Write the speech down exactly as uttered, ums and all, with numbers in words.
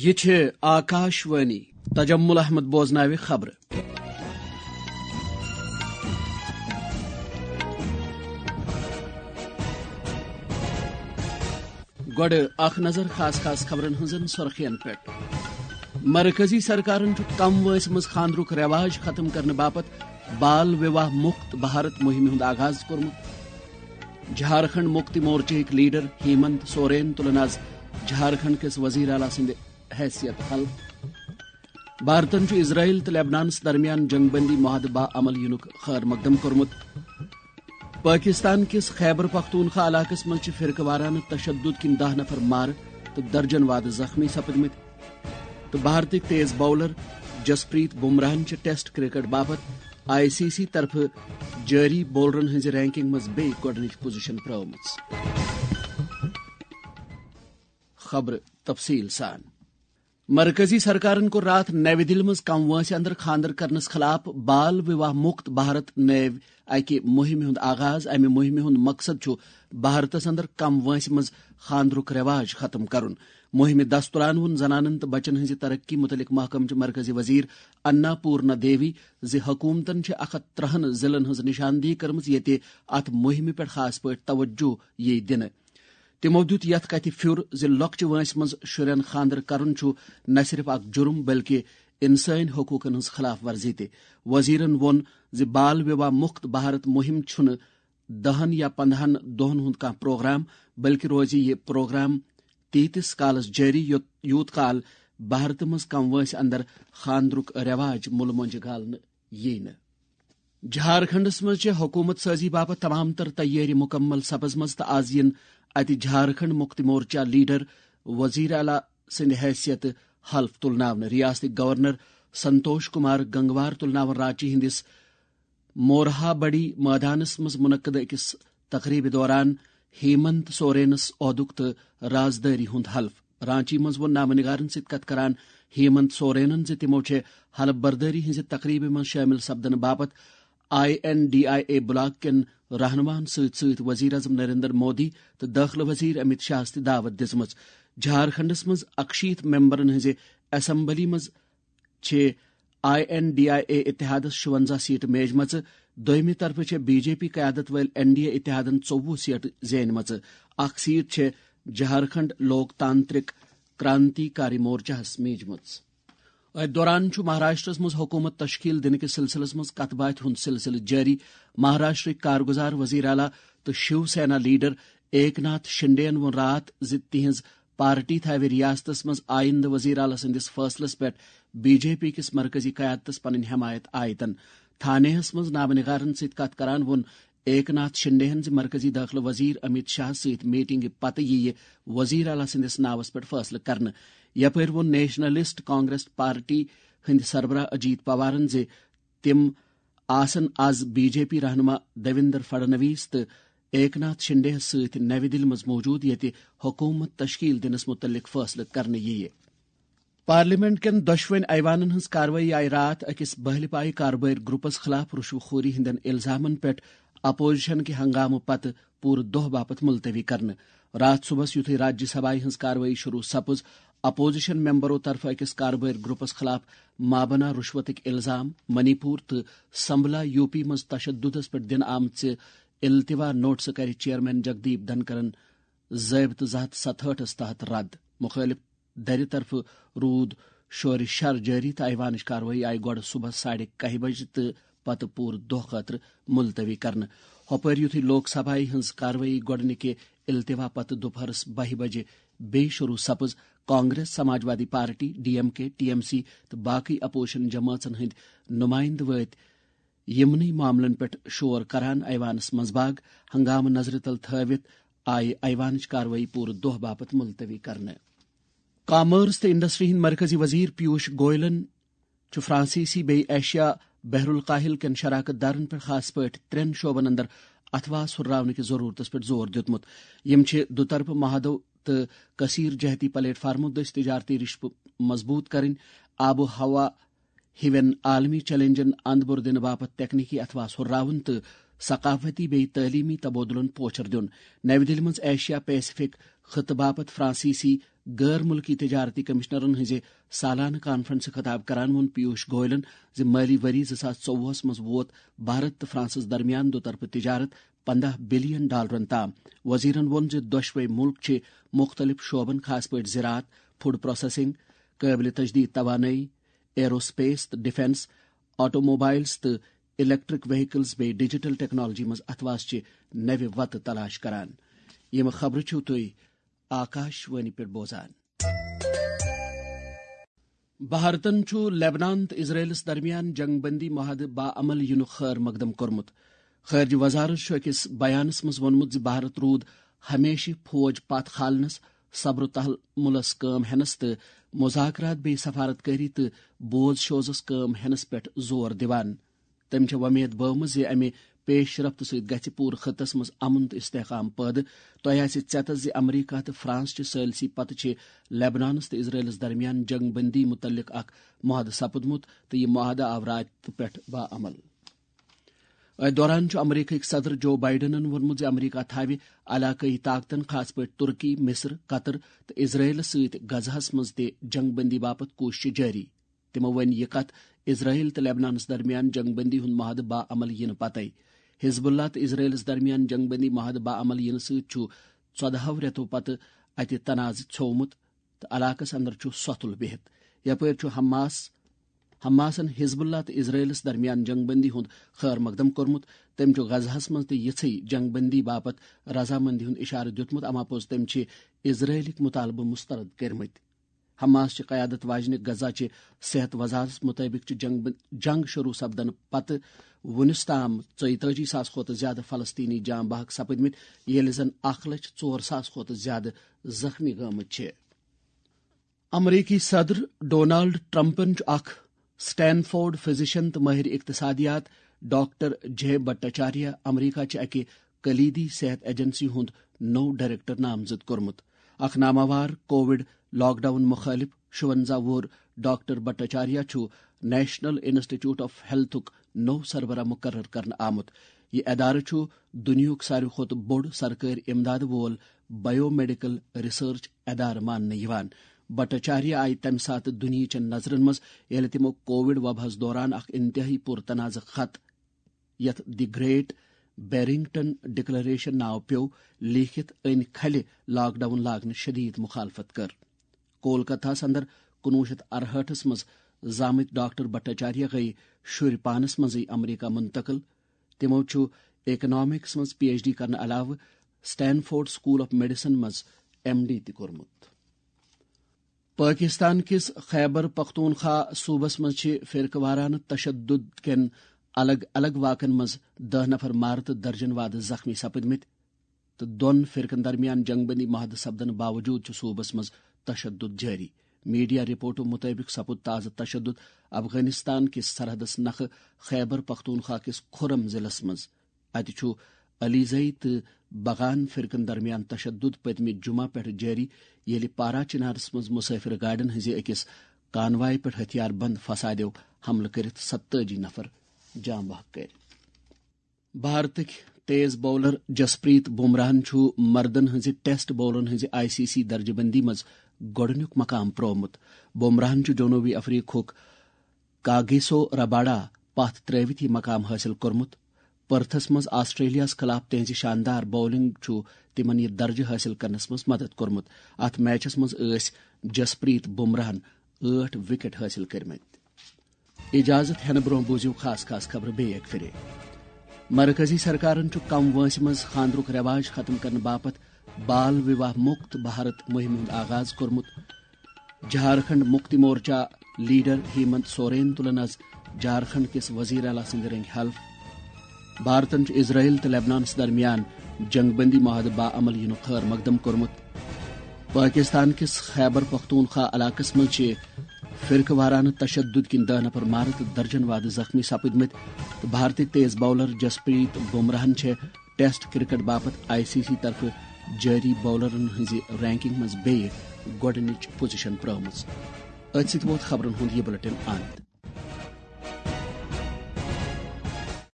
یہِ چھِ آکاش وانی۔ تجمل احمد بوزناوِ خبرٕ۔ گۄڈٕ اکھ نظر خاص خاص خبرن ہٕنٛزن سُرخین پٮ۪ٹھ۔ مرکزی سرکارن چھُ کم وٲنٛسہِ منٛز خانٛدرُک رٮ۪واج ختم کرنہٕ باپتھ بال وِواہ مُکت بھارت مُہِمہِ ہُنٛد آغاز کوٚرمُت۔ جھارکھنڈ مُکتی مورچہٕکۍ لیڈر ہیمنت سورین تُلن آز جھارکھنڈ کِس وزیر اعلیٰ سٕنٛدِ حیثیت حلف۔ بھارتن چھُ اسرائیل تہٕ لیبنانس درمیان جنگ بندی معاہدٕ باعمل یِنُک خیر مقدم کوٚرمُت۔ پٲکِستان کِس خیبر پختونخوا علاقس منٛز چھِ فرقہٕ وارانہٕ تشدد کِنۍ دَہ نفر مارٕ تہٕ درجن وادٕ زخمی سپٕدمٕتۍ۔ تہٕ بھارتٕکۍ تیز باؤلر جسپریت بمراہن چھِ ٹیسٹ کرکٹ باپتھ آئی سی سی طرفہٕ جٲری باؤلرن ہٕنٛزِ رینکنگ منٛز بیٚیہِ گۄڈٕنِچ پوزیشن پرٛٲومٕژ۔ خبرٕ تفصیٖل سان۔ مرکزی سرکارن کوٚر راتھ نَوِ دِلہِ منٛز کم وٲنٛسہِ اندر خانٛدر کرنس خلاف بال وِواہ مُکت بھارت نٲوۍ اکہِ مُہِمہِ ہُنٛد آغاز۔ امہِ مُہِمہِ ہُنٛد مقصد چھُ بھارتس اندر کم وٲنٛسہِ منٛز خانٛدرُک رٮ۪واج ختم کرُن۔ مُہِمہِ دستُران ووٚن زنانن تہٕ بچن ہٕنٛزِ ترقی مُتعلق محکمہٕ چہِ مرکزی وزیر انا پورنا دیوی زِ حکوٗمتن چھِ اکھ ہتھ ترٛہن ضلعن ہٕنٛز نشاندہی کٔرمٕژ، ییٚتہِ اتھ مُہِمہِ پٮ۪ٹھ خاص پٲٹھۍ توجہ یِیہِ دِنہٕ۔ تِمو دیُت یتھ کتھِ پھیُر زِ لۄکچہِ وٲنٛسہِ منٛز شُرٮ۪ن خانٛدر کرُن چھُ نہ صرف اکھ جُرم بلکہِ انسٲنی حقوقن ہٕنٛز خلاف ورزی تہِ۔ وزیرن ووٚن زِ بال وِواہ مُکت بھارت مُہِم چھُنہٕ دَہن یا پنٛداہن دۄہن ہُنٛد کانٛہہ پروگرام، بلکہِ روزِ یہِ پروگرام تیٖتِس کالس جٲری یوٚت-، یوٗت کال بھارتہٕ منٛز کم وٲنٛسہِ اندر خانٛدرُک رٮ۪واج مُلہٕ مۄنجہِ گالنہٕ ییہِ نہٕ۔ جھارکھنڈس منٛز چھِ حکومت سازی باپتھ تمام تر تیٲری مکمل سپزمژ تہٕ آز یِن اتہِ جھارکھنڈ مکتی مورچہ لیڈر وزیر اعلیٰ سٕنٛدِ حیثیتہٕ حلف تُلناونہٕ۔ ریاستٕکۍ گورنر سنتوش کمار گنگوار تُلناون رانچی ہٕنٛدِس مورہا بڑی مٲدانس منٛز منعقد أکِس تقریبہِ دوران ہیمنت سورینس عہدُک تہٕ رازدٲری ہُنٛد حلف۔ رانچی منٛز ووٚن نامہ نگارن سۭتۍ کتھ کران ہیمنت سورینن زِ تِمو چھِ حلف بردٲری ہٕنٛزِ تقریبہِ منٛز شٲمِل سپدنہٕ باپتھ I N D I A bloc کٮ۪ن رہنماہن سۭتۍ سۭتۍ وزیر اعظم نریندر مودی تہٕ دٲخلہٕ وزیر امت شاہس تہِ دعوت دِژمٕژ۔ جھارکھنڈس منٛز اکشیٖتھ ممبرن ہٕنٛزِ اسمبلی منٛز چھِ I N D I A اتحادس شُونزاہ سیٹہٕ میجمژٕ۔ دوٚیمہِ طرفہٕ چھےٚ بی جے پی قیادت وٲلۍ این ڈی اے اتحادن ژوٚوُہ سیٹہٕ زینمژٕ۔ اکھ سیٹ چھےٚ جھارکھنڈ لوک تانترک کرانتی کاری مورچہس میجمٕژ۔ أتھۍ دوران چھُ مہاراشٹرس منٛز حکومت تشکیل دِنہٕ کِس سلسلس منٛز کتھ باتھِ ہُنٛد سلسلہٕ جٲری۔ مہاراشٹرٕکۍ کارگزار وزیر اعلیٰ تہٕ شیو سینا لیڈر ایک ناتھ شنڈے ین ووٚن راتھ زِ تِہنٛز پارٹی تھاوِ ریاستس منٛز آیندٕ وزیر اعلیٰ سٕنٛدِس فٲصلس پٮ۪ٹھ بی جے پی کِس مرکزی قیادتس پنٕنۍ حمایت عائدن۔ تھانیہس منٛز نامہ نگارن سۭتۍ کتھ کران ووٚن ایک ناتھ شنڈے ہن زِ مرکزی دٲخلہٕ وزیر امت شاہ سۭتۍ میٹنگہِ پتہٕ یِیہِ وزیر اعلیٰ سٕنٛدِس ناوس پٮ۪ٹھ فٲصلہٕ کرنہٕ۔ یپٲرۍ ووٚن نیشنلسٹ کانگریس پارٹی ہٕنٛدۍ سربراہ اجیت پوارن زِ تِم آسن از بی جے پی رہنما دیویندر فڈنویس تہٕ ایک ناتھ شنڈے یَس سۭتۍ نَوِ دِلہِ منٛز موجود، ییٚتہِ حکومت تشکیل دِنس مُتعلق فٲصلہٕ کرنہٕ یِیہِ۔ پارلیمنٹ کٮ۪ن دۄشوٕنۍ ایوانن ہٕنٛز کاروٲیی آیہِ راتھ أکِس بہلہِ پایہِ کاربٲرۍ گروپس خلاف رُشوٕ خوری ہٕنٛدٮ۪ن الزامن پٮ۪ٹھ اپوزیشن کہِ ہنگامہٕ پتہٕ پوٗرٕ دۄہ باپتھ ملتوی کرنہٕ۔ راتھ صبحس یُتھُے راجیہ سبھایہ ہٕنٛز کاروٲیی شروع سپٕز، اپوزیشن ممبرو طرفہٕ أکِس کاربٲرۍ گروپس خلاف مابنا رُشوتٕکۍ الزام، منی پور تہٕ سمبلا یو پی منٛز تشددس پٮ۪ٹھ دِنہٕ آمژِ التوا نوٹسہٕ کرِ چیئرمین جگدیپ دھنکرن ضٲبطہٕ زٕ ہتھ ستہٲٹھس تحت رد۔ مُخٲلِف دَرِ طرفہٕ روٗد شورِ شر جٲری تہٕ ایوانٕچ کاروٲیی آیہِ گۄڈٕ صبحس ساڑِ کاہہِ بجہِ تہٕ پتہٕ پوٗرٕ دۄہ خٲطرٕ ملتوی کرنہٕ۔ ہۄپٲرۍ یُتھُے لوک سبھایہ ہٕنٛز کاروٲیی گۄڈٕنِکہِ التوا پتہٕ دُپہرس بَہہِ بجہِ بیٚیہِ شروع سپٕز، Congress, Samajwadi party, D M K, T M C تہٕ باقٕے اپوزیشن جمٲژن ہٕنٛدۍ نُمایندٕ وٲتۍ یِمنٕے معاملن پٮ۪ٹھ شور کران ایوانس منٛزباگ۔ ہنگامہٕ نظرِ تل تھٲوِتھ آیہِ ایوانٕچ کاروٲیی پوٗرٕ دۄہ باپتھ ملتوی کرنہٕ۔ کامٲرس تہٕ انڈسٹری ہٕنٛدۍ مرکزی وزیر پیوش گوئلن چھُ فرانسیسی بیٚیہِ ایشیا بحر الکاہل کٮ۪ن شراکت دارن پٮ۪ٹھ خاص پٲٹھۍ ترٛٮ۪ن شعبن اندر اتھواس ہُرراونہٕ کِس ضروٗرتس پٮ۪ٹھ زور دیُتمُت۔ یِم چھِ دُطرفہٕ معاہدو تہٕ کثیر جہتی پلیٹ فارمو دٔسۍ تجارتی رشتہٕ مضبوط کرٕنۍ، آب و ہوا ہِوٮ۪ن عالمی چیلنجن اند بُر دِنہٕ باپتھ تکنیکی اتھواس ہُرراوُن تہٕ ثقافتی بیٚیہِ تعلیمی تبادلن پوچھر دیُن۔ نَوِ دِلہِ منٛز ایشیا پیسفک خطہٕ باپتھ فرانسیسی غٲر مُلکی تجارتی کمشنرن ہٕنٛزِ سالانہٕ کانفرنسہِ خطاب کران ووٚن پیوش گوئلن زِ مٲلی ؤری زٕ ساس ژوٚوُہس منٛز ووت بھارت تہٕ فرانسس درمیان دُطرفہٕ تجارت پنداہ بلین ڈالرن تام۔ وزیرن ووٚن زِ دۄشوے مُلک چھِ مُختٔلِف شعبن، خاص پٲٹھۍ زراعت، فوڈ پروسیسنگ، قٲبلِ تجدید توانٲیی، ایرو سپیس تہٕ ڈیفنس، آٹو موبائلز تہٕ الیکٹرک وہیکلز بیٚیہِ ڈیجیٹل ٹیکنالوجی منٛز اتھواس چہِ نوِ وتہٕ تلاش کران۔ یِم خبرٕ چھِو تُہۍ آکاش وانی پٮ۪ٹھ بوزان۔ بھارتن چھُ لیبنان تہٕ اسرائیلس درمیان جنگ بندی معاہدٕ باعمل یِنُک خٲر مقدم کوٚرمُت۔ خارجہ وزارت چھُ أکِس بیانس منٛز ووٚنمُت زِ بھارت روٗد ہمیشہِ فوج پتھ کھالنس، صبر و تحملس کٲم ہینس تہٕ مذاکرات بیٚیہِ سفارت کٲری تہٕ بوز شوزس کٲم ہینس پٮ۪ٹھ زور دِوان۔ تٔمۍ چھےٚ وۄمید بٲومٕژ زِ امہِ پیش رفت سۭتۍ گژھِ پوٗرٕ خطس منٛز امن تہٕ استحکام پٲدٕ۔ تۄہہِ آسہِ ژیتس زِ امریکہ تہٕ فرانس چہِ ثٲلسی پتہٕ چھِ لیبنانس تہٕ اسرائیلس درمیان جنگ بندی متعلق اکھ معاہدٕ سپُدمُت تہٕ یہِ معاہدٕ آو راتہٕ پٮ۪ٹھ باعمل۔ أتھۍ دوران چھُ امریکہٕکۍ صدر جو بائیڈنن ووٚنمُت زِ امریکہ تھاوِ علاقٲیی طاقتن، خاص پٲٹھۍ ترکی، مصر، قطر تہٕ اسرائیلس سۭتۍ غزہس منٛز تہِ جنگ بندی باپتھ کوٗششہٕ جٲری۔ تِمو وۄنۍ یہِ کتھ اسرائیل تہٕ لیبنانس درمیان جنگ بندی ہُنٛد معاہدٕ باعمل یِنہٕ پتے۔ حزب اللہ تہٕ اسرائیلس درمیان جنگ بندی معاہدٕ باعمل یِنہٕ سۭتۍ چھُ ژۄدہو رٮ۪تو پتہٕ اتہِ تنازٕ ژھیومُت تہٕ علاقس اندر چھُ سۄتھُل بِہِتھ۔ یپٲرۍ چھُ حماس حماسن حزب اللہ تہٕ اسرائیلس درمیان جنگ بندی ہُنٛد خٲر مقدم کوٚرمُت۔ تٔمۍ چھُ غزہس منٛز تہِ یِژھٕے جنگ بندی باپتھ رضامندی ہُنٛد اشارٕ دیُتمُت، اما پوٚز تٔمۍ چھِ اسرائیلٕکۍ مطالبہٕ مسترد کٔرمٕتۍ۔ حماس چہِ قیادت واجنہِ غزہ چہِ صحت وزارتس مطٲبق چھِ جنگ بن-، جنگ شروع سپدنہٕ پتہٕ وُنِس تام ژۄیتٲجی ساس کھۄتہٕ زیادٕ فلسطینی جاں بحق سپٕدمٕتۍ، ییٚلہِ زن اکھ لچھ ژور ساس کھۄتہٕ زیادٕ زخمی گٲمٕتۍ چھِ۔ امریکی صدر ڈونالڈ ٹرمپن چھُ اکھ سٹینفورڈ فزیشن تہٕ ماہر اقتصادیات ڈاکٹر جے بٹاچاریہ امریکہ چہِ اکہِ کلیدی صحت ایجنسی ہُنٛد نوٚو ڈائریکٹر نامزد کوٚرمُت۔ اکھ ناماوار کووڈ لاک ڈاؤن مخالف شُونزہ وُہُر ڈاکٹر بٹاچاریہ چھُ نیشنل انسٹیٹیوٹ آف ہیلتھُک نوٚو سربراہ مقرر کرنہٕ آمُت۔ یہِ ادارٕ چھُ دُنیاہُک ساروی کھۄتہٕ بوٚڑ سرکٲرۍ امداد وول بایو میڈیکل ریسرچ ادارٕ ماننہٕ یِوان۔ بٹاچاریہ آیہِ تَمہِ ساتہٕ دُنیہٕچٮ۪ن نظرن منٛز، ییٚلہِ تِمو کووڈ وباہس دوران اکھ انتہٲئی پُرتنازعہ خط، یتھ دی گریٹ بیرنگٹن ڈکلریشن ناو پیوٚو، لیٖکھِتھ أنۍ کھلہِ لاک ڈاؤن لاگنٕچ شدید مخالفت کٔر۔ کولکتہس اندر کُنوُہ شیٚتھ ارہٲٹھس منٛز زامٕتۍ ڈاکٹر بٹاچاریہ گٔیہِ شُرۍ پانس منٛزٕے امریکہ منتقل۔ تِمو چھُ اکنامکس منٛز پی ایچ ڈی کرنہٕ علاوٕ سٹینفورڈ سکول آف میڈیسن منٛز ایم ڈی تہِ کوٚرمُت۔ پٲکِستان کِس خیبر پختونخوا صوٗبس منٛز چھِ فرقہٕ وارانہٕ تشدد کٮ۪ن الگ الگ واقعن منٛز دَہ نفر مارٕ تہٕ درجن وادٕ زخمی سپٕدمٕتۍ تہٕ دۄن فرقن درمیان جنگ بندی معاہدٕ سپدنہٕ باوجوٗد چھُ صوٗبس منٛز تشدد جٲری۔ میڈیا رپورٹو مُطٲبِق سپُد تازٕ تشدد افغانستان کِس سرحدس نکھٕ خیبر پختونخوا کِس خُرم ضلعس منٛز۔ اتہِ چھُ علیزئی تہٕ بغان فرقن درمیان تشدد پٔتمہِ جمعہ پٮ۪ٹھ جٲری، ییٚلہِ پارا چنارس منٛز مسافر گاڑٮ۪ن ہٕنٛزِ أکِس کانوائے پٮ۪ٹھ ہتھیار بند فسادیو حملہٕ کٔرِتھ ستٲجی نفر جاں بحق کٔرۍ۔ بھارتٕکۍ تیز باؤلر جسپریت بمراہن چھُ مردن ہٕنٛزِ ٹیسٹ باؤلرن ہٕنٛزِ آئی سی سی درجہٕ بندی منٛز گۄڈٕنیُک مقام پرٛوومُت۔ بمراہن چھُ جنوبی افریقہُک کاگیسو رباڈا پتھ ترٲوِتھ یہِ مقام حٲصِل کوٚرمُت۔ پرتھس منٛز آسٹریلیاہس خلاف تہنٛزِ شاندار باؤلنگ چھُ تِمن یہِ درجہٕ حٲصِل کرنس منٛز مدد کوٚرمُت۔ اتھ میچس منٛز ٲسۍ جسپریت بمراہن ٲٹھ وکٹ حٲصِل کٔرمٕتۍ۔ اجازت ہینہٕ برونٛہہ بوٗزِو خاص خاص خبرٕ بیٚیہِ اکہِ پھِرِ۔ مرکزی سرکارن چھُ کم وٲنٛسہِ منٛز خانٛدرُک رٮ۪واج ختم کرنہٕ باپتھ بال وِواہ مُکت بھارت مُہِمہِ ہُنٛد آغاز کوٚرمُت۔ جھارکھنڈ مُکتی مورچہ لیڈر ہیمنت سورین تُلن از جھارکھنڈ کِس وزیر اعلیٰ سٕنٛدِ رنٛگہِ حلف۔ بھارتن چھُ اسرائیل تہٕ لیبنانس درمیان جنگ بندی معاہدٕ باعمل یِنُک خٲر مقدم کوٚرمُت۔ پٲکِستان کِس خیبر پختونخوا علاقس منٛز چھِ فرقہٕ وارانہٕ تشدد کِنۍ دَہ نفر مارٕ تہٕ درجن وادٕ زخمی سپٕدمٕتۍ تہٕ بھارتٕکۍ تیز باؤلر جسپریت بمراہن چھےٚ ٹیسٹ کرکٹ باپتھ آئی سی سی طرفہٕ جٲری باؤلرن ہٕنٛزِ رینکنگ منٛز بیٚیہِ گۄڈٕنِچ پوزیشن پرٛٲومٕژ۔ أتھۍ سۭتۍ ووت خبرن ہُنٛد یہِ بلیٹن اند۔